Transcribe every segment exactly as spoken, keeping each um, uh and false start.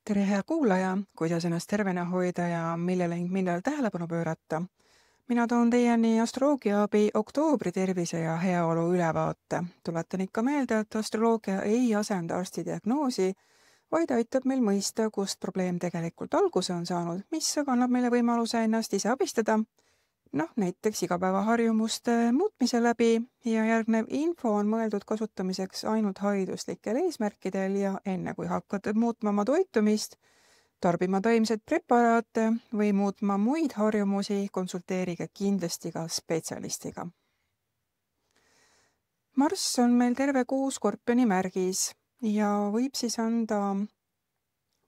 tere, hea kuulaja, kuidas ennast tervena hoida ja millele ning millal tähelepanu pöörata. Mina toon teieni astroloogia abi oktoobri tervise ja heaolu ülevaate. Tuletan ikka meelde, et astroloogia ei asenda arsti diagnoosi, vaid aitab meil mõista, kust probleem tegelikult alguse on saanud, mis aga annab meile võimaluse ennast ise abistada. Noh, näiteks igapäevaharjumuste muutmise läbi ja järgnev info on mõeldud kasutamiseks ainult hariduslikel eesmärkidel ja enne kui hakkate muutma oma toitumist, tarbima taimset preparaate või muutma muid harjumusi, konsulteerige kindlasti ka spetsialistiga. Marss on meil terve kuu skorpioni märgis ja võib siis anda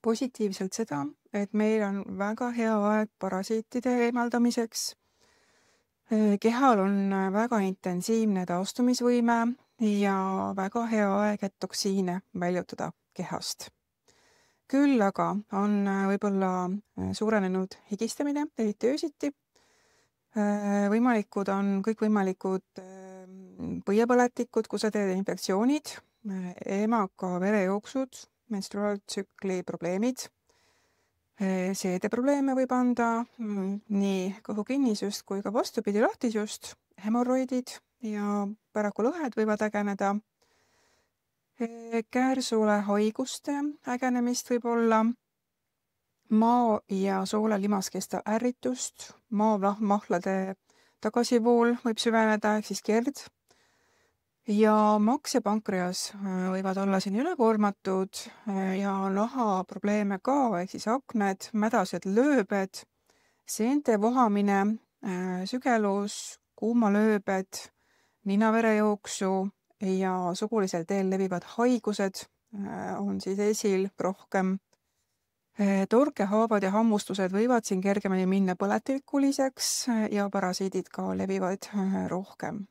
positiivselt seda, et meil on väga hea aeg parasiitide eemaldamiseks. Kehal on väga intensiivne taastumisvõime ja väga hea aeg, et toksiine väljutada kehast. Küll aga on võib-olla suurenenud higistamine, eriti öösiti. Võimalikud on kõikvõimalikud põiepõletikud, kuseteede infektsioonid, emaka verejooksud, menstruaaltsükli probleemid. Seedeprobleeme võib anda nii kõhukinnisust kui ka vastupidi lahtisust, hemorroidid ja paraku lõhed võivad ägeneda. Käärsule haiguste ägenemist võib olla maa- ja soole limaskesta ärritust, maavlahmahlade tagasivool võib süveneda ehk siis kerd. Ja maks ja pankreas võivad olla siin ülekoormatud ja naha probleeme ka, ehk siis akned, mädased lööbed, seente vohamine, sügelus, kuumalööbed, ninaverejooksu ja sugulisel teel levivad haigused on siis esil rohkem. Torkehaavad ja hammustused võivad siin kergemini minna põletikuliseks ja parasiidid ka levivad rohkem.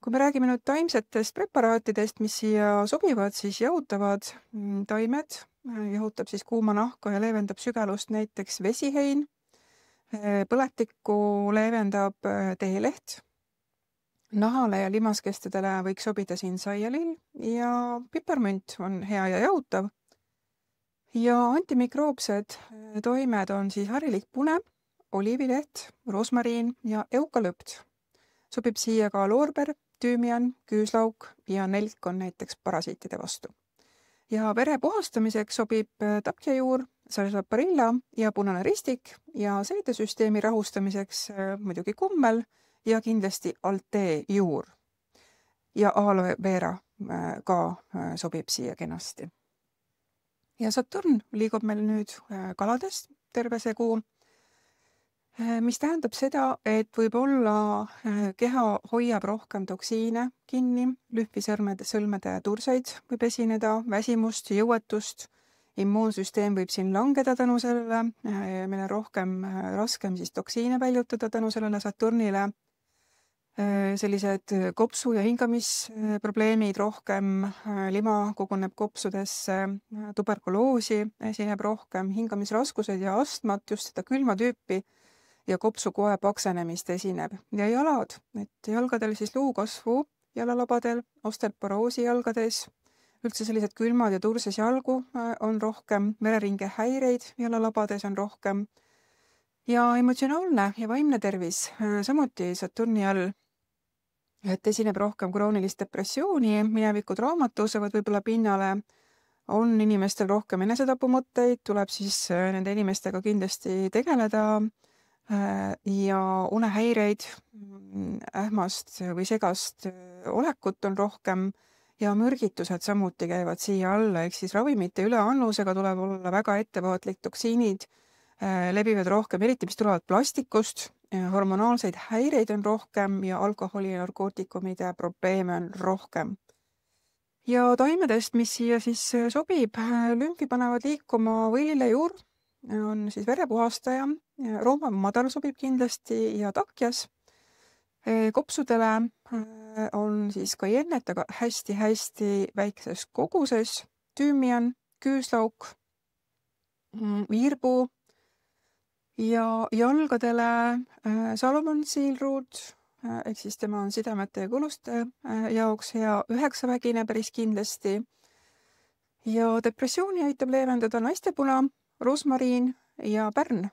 Kui me räägime nüüd taimsetest preparaatidest, mis siia sobivad, siis jahutavad taimed, jahutab siis kuuma nahka ja leevendab sügelust näiteks vesihein, põletikku leevendab teeleht, nahale ja limaskestadele võiks sobida siin saialill ja piparmünt on hea ja jahutav. Ja antimikroopsed toimed on siis harilik pune, oliivileht, rosmariin ja eukalüpt. Sobib siia ka loorber, tüümian, küüslauk ja nelk on näiteks parasiitide vastu. Ja vere puhastamiseks sobib tapjajuur, sarsaparilla ja punane ristik ja seedesüsteemi rahustamiseks muidugi kummel ja kindlasti altee juur. Ja aloe vera ka sobib siia kenasti. Ja Saturn liigub meil nüüd kalades terve see kuu, mis tähendab seda, et võib-olla keha hoiab rohkem toksiine kinni, lühvisõrmede sõlmede turseid võib esineda, väsimust, jõuetust, immuunsüsteem võib siin langeda tänu sellele, meil on rohkem raskem siis toksiine väljutada tänu sellele Saturnile, sellised kopsu- ja hingamisprobleemid rohkem, lima koguneb kopsudesse, tuberkuloosi esineb rohkem, hingamisraskused ja astmat, just seda külma tüüpi, ja kopsukoe paksenemist esineb. Ja jalad, et jalgadel siis luukasvu jalalabadel, osteoporoosi jalgades, üldse sellised külmad ja turses jalgu on rohkem, vereringe häireid jalalabades on rohkem. Ja emotsionaalne ja vaimne tervis, samuti Saturni all, et esineb rohkem kroonilist depressiooni, minevikud raamad tõusevad võib-olla pinnale, on inimestel rohkem enesetapumõtteid, tuleb siis nende inimestega kindlasti tegeleda, ja unehäireid, ähmast või segast olekut on rohkem ja mürgitused samuti käivad siia alla, ehk siis ravimite üleannusega tuleb olla väga ettevaatlik, toksiinid levivad rohkem, eriti mis tulevad plastikust, hormonaalseid häireid on rohkem ja alkoholi ja narkootikumide probleeme on rohkem. Ja taimedest, mis siia siis sobib, lümfi panevad liikuma võililejuur, on siis verepuhastaja, rooma madal sobib kindlasti ja takjas. Kopsudele on siis ka jennet, aga hästi-hästi väikses koguses, tüümian, küüslauk, virbu ja jalgadele Salomon siilruud, ehk siis tema on sidemete ja kuluste jaoks hea üheksavägine päris kindlasti. ja depressiooni aitab leevendada naistepuna, rosmariin ja pärn.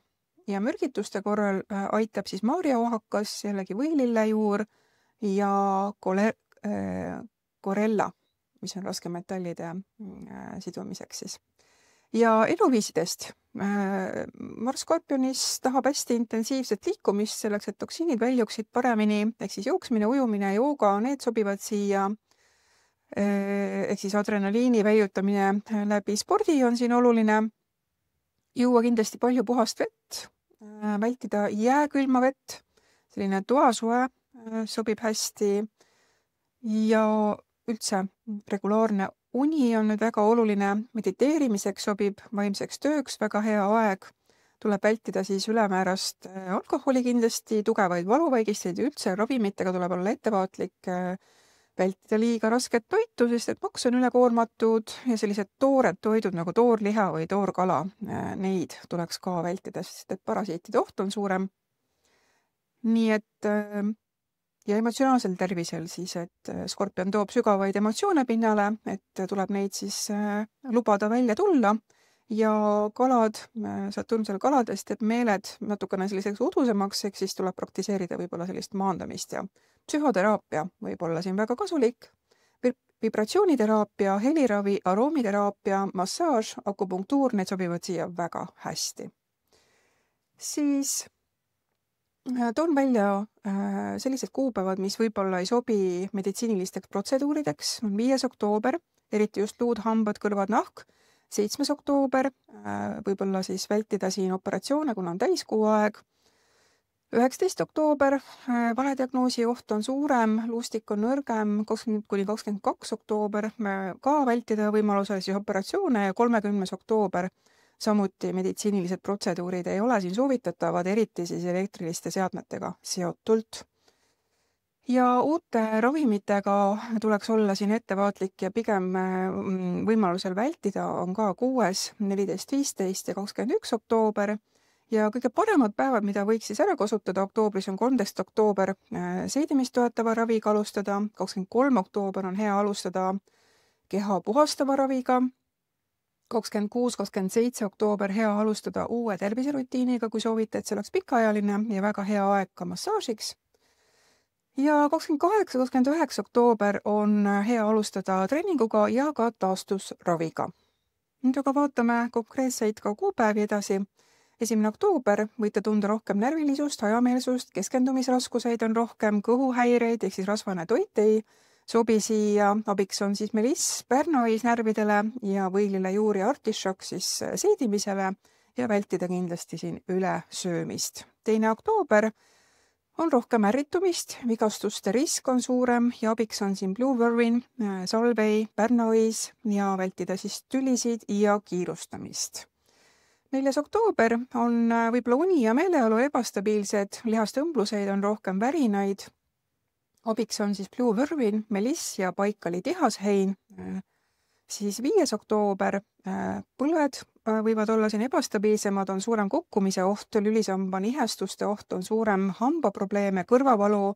Ja mürgituste korral aitab siis maarjaohakas, jällegi võilillejuur ja kole, äh, korella, mis on raskemetallide äh, sidumiseks siis. Ja eluviisidest. Äh, Mars Skorpionis tahab hästi intensiivset liikumist selleks, et toksiinid väljuksid paremini, ehk siis jooksmine, ujumine, jooga, need sobivad siia. Ehk siis adrenaliini väijutamine läbi spordi on siin oluline. Juua kindlasti palju puhast vett, vältida jääkülma vett, selline toasue sobib hästi ja üldse regulaarne uni on nüüd väga oluline. Mediteerimiseks sobib vaimseks tööks väga hea aeg. Tuleb vältida siis ülemäärast alkoholi kindlasti, tugevaid valuvaigisteid ja üldse ravimitega tuleb olla ettevaatlik, vältida liiga rasket toitu, sest et maks on ülekoormatud ja sellised toored toidud nagu toorliha või toorkala, neid tuleks ka vältida, sest et parasiitide oht on suurem. Nii et ja emotsionaalsel tervisel siis, et Skorpion toob sügavaid emotsioone pinnale, et tuleb neid siis lubada välja tulla ja kalad, Saturnusel kaladest teeb meeled natukene selliseks udusemaks, ehk siis tuleb praktiseerida võib-olla sellist maandamist ja psühhoteraapia võib olla siin väga kasulik. Vibratsiooniteraapia, heliravi, aromiteraapia, massaaž, akupunktuur, need sobivad siia väga hästi. Siis toon välja sellised kuupäevad, mis võib-olla ei sobi meditsiinilisteks protseduurideks. On viies oktoober, eriti just luud, hambad, kõrvad, nahk. seitsmes oktoober, võib-olla siis vältida siin operatsioone, kuna on täiskuu aeg. üheksateist oktoober, valediagnoosi oht on suurem, luustik on nõrgem, kakskümmend kuni kakskümmend kaks oktoober, ka vältida võimalusel siis operatsioone ja kolmekümnes oktoober samuti meditsiinilised protseduurid ei ole siin soovitatavad, eriti siis elektriliste seadmetega seotult. Ja uute ravimitega tuleks olla siin ettevaatlik ja pigem võimalusel vältida on ka kuues, neliteist, viisteist ja kakskümmend üks oktoober. Ja kõige paremad päevad, mida võiks siis ära kasutada oktoobris, on kolmteist oktoober seedimist toetava raviga alustada, kakskümmend kolm oktoober on hea alustada keha puhastava raviga, kakskümmend kuus, kakskümmend seitse oktoober hea alustada uue terviserutiiniga, kui soovite, et see oleks pikaajaline ja väga hea aeg ka massaažiks. Ja kakskümmend kaheksa, kakskümmend üheksa oktoober on hea alustada treeninguga ja ka taastusraviga. Nüüd aga vaatame konkreetseid ka kuupäevi edasi. esimene oktoober võite tunda rohkem närvilisust, hajameelsust, keskendumisraskuseid on rohkem, kõhuhäireid, ehk siis rasvane toit ei sobi siia. Abiks on siis meliss, pärnois närvidele ja võilillejuur ja artišokk siis seedimisele ja vältida kindlasti siin ülesöömist. teine oktoober on rohkem ärritumist, vigastuste risk on suurem ja abiks on siin Blue Vervin, salvei, pärnois ja vältida siis tülisid ja kiirustamist. neljas oktoober on võib-olla uni ja meeleolu ebastabiilsed, lihastõmbluseid on rohkem värinaid. Abiks on siis Blue Vervin, meliss ja paikali tihashein. Siis viies oktoober põlved võivad olla siin ebastabiilsemad, on suurem kukkumise oht, lülisamba nihestuste oht on suurem, hambaprobleeme, kõrvavalu,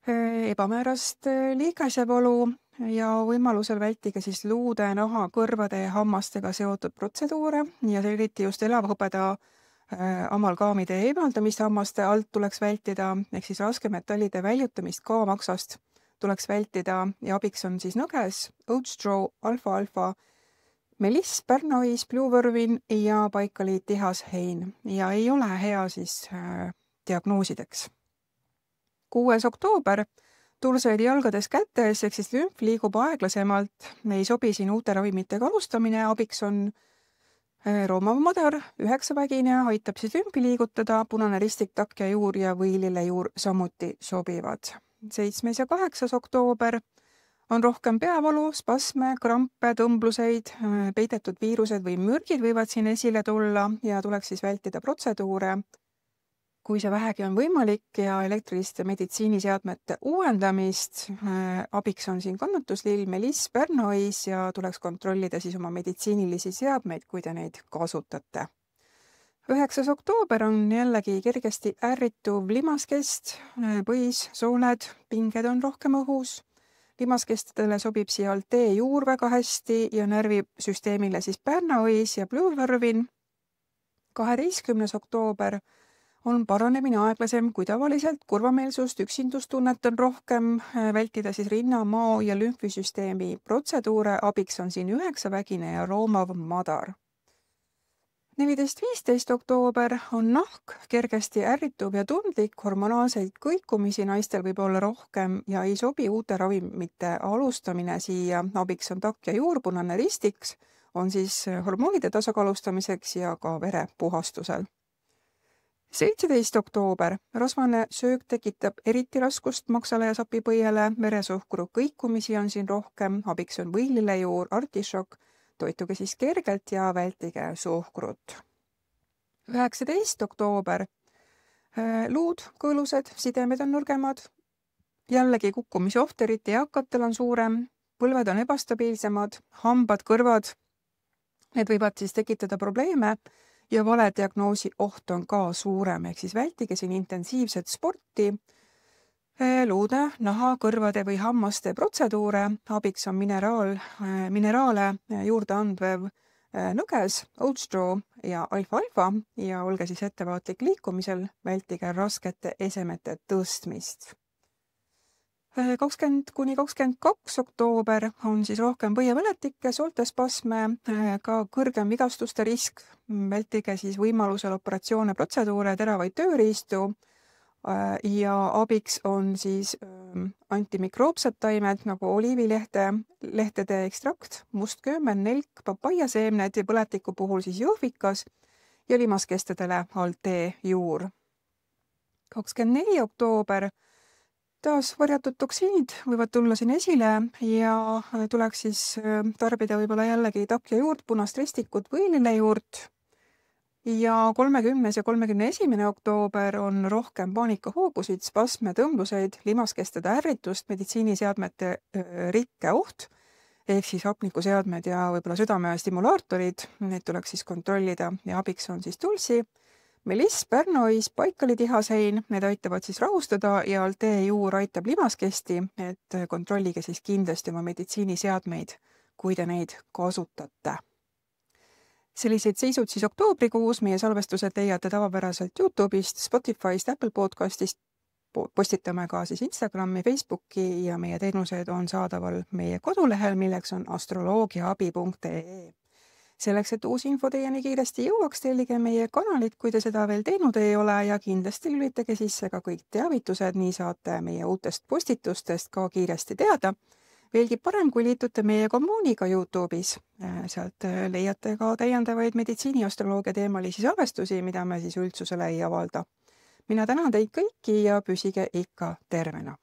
ebamäärast liigesevalu ja võimalusel vältige siis luude, naha, kõrvade ja hammastega seotud protseduure ja eriti just elavhõbeda amalgaamide eemaldamist hammaste alt tuleks vältida, ehk siis raskemetallide väljutamist ka maksast tuleks vältida ja abiks on siis nõges, oatstraw, alfa-alfa, meliss, pärnois, Blue Vervin ja paikali tihashein ja ei ole hea siis äh, diagnoosideks. kuues oktoober, tursaid jalgades kätes, ehk siis lümf liigub aeglasemalt, ei sobi siin uute ravimitega alustamine, abiks on roomav madar, üheksavägine, aitab siis lümfi liigutada, punane ristik, takja juur ja võilillejuur samuti sobivad. seitsmes ja kaheksas oktoober on rohkem peavalu, spasme, krampe, tõmbluseid, peidetud viirused või mürgid võivad siin esile tulla ja tuleks siis vältida protseduure, kui see vähegi on võimalik ja elektriliste meditsiiniseadmete uuendamist. Abiks on siin kannatuslill, meliss, pärnois ja tuleks kontrollida siis oma meditsiinilisi seadmeid, kui te neid kasutate. üheksas oktoober on jällegi kergesti ärrituv limaskest, põis, sooled, pinged on rohkem õhus, limaskestadele sobib siia Altee juur väga hästi ja närvisüsteemile siis Bernois ja Bluevervin. kaheteistkümnes oktoober on paranemine aeglasem kui tavaliselt, kurvameelsust, üksindustunnet on rohkem, vältida siis rinna, mao ja lümfisüsteemi protseduure, abiks on siin üheksavägine ja roomav madar. neliteist viisteist oktoober on nahk kergesti ärrituv ja tundlik, hormonaalseid kõikumisi naistel võib olla rohkem ja ei sobi uute ravimite alustamine siia, abiks on takk ja juur, punane ristiks, on siis hormoonide tasakaalustamiseks ja ka verepuhastusel. seitseteist oktoober. Rasvane söök tekitab eriti raskust maksale ja sapipõiele, veresuhkru kõikumisi on siin rohkem, abiks on võililejuur, artišokk, toituge siis kergelt ja vältige suhkrut. üheksateist oktoober. Luud, kõõlused, sidemed on nõrgemad, jällegi kukkumise oht eriti eakatel on suurem, põlved on ebastabiilsemad, hambad, kõrvad, need võivad siis tekitada probleeme ja valediagnoosi oht on ka suurem, ehk siis vältige siin intensiivset sporti, luude, naha, kõrvade või hammaste protseduure, abiks on mineraal, mineraale juurde andvev nõges, Old Straw ja alfa-alfa ja olge siis ettevaatlik liikumisel, vältige raskete esemete tõstmist. kakskümmend kuni kakskümmend kaks oktoober on siis rohkem põiepõletikke, sooltespasme, ka kõrgem vigastuste risk, vältige siis võimalusel operatsioone, protseduure, teravaid tööriistu ja abiks on siis antimikroopsed taimed nagu oliivilehte, lehtede ekstrakt, mustköömen, nelk, papaiaseemned ja põletiku puhul siis jõhvikas ja limaskestadele Altee juur. kakskümmend neli oktoober taas varjatud toksiinid võivad tulla siin esile ja tuleks siis tarbida võib-olla jällegi takk ja juurt, punast ristikut või lillejuurt. Ja kolmekümnes ja kolmekümne esimene oktoober on rohkem paanikahoogusid, spasme, tõmbluseid, limaskestade ärritust, meditsiiniseadmete rikke oht, ehk siis hapnikuseadmed ja võib-olla südame stimulaatorid, need tuleks siis kontrollida ja abiks on siis tulsi, meliss, Bernois, paikalitihasein, need aitavad siis rahustada ja Altee juur aitab limaskesti, et kontrollige siis kindlasti oma meditsiiniseadmeid, kui te neid kasutate. Selliseid seisud siis oktoobrikuus, meie salvestused leiate tavapäraselt YouTube'ist, Spotify'st, Apple Podcast'ist, postitame ka siis Instagrami, Facebooki ja meie teenused on saadaval meie kodulehel, milleks on astroloogiaabi punkt ee. Selleks, et uus info teieni kiiresti jõuaks, tellige meie kanalit, kui te seda veel teinud ei ole ja kindlasti lülitage sisse ka kõik teavitused, nii saate meie uutest postitustest ka kiiresti teada. Veelgi parem, kui liitute meie kommuuniga YouTube'is. Sealt leiate ka täiendavaid meditsiiniastroloogia teemalisi salvestusi, mida me siis üldsusele ei avalda. Mina tänan teid kõiki ja püsige ikka tervena.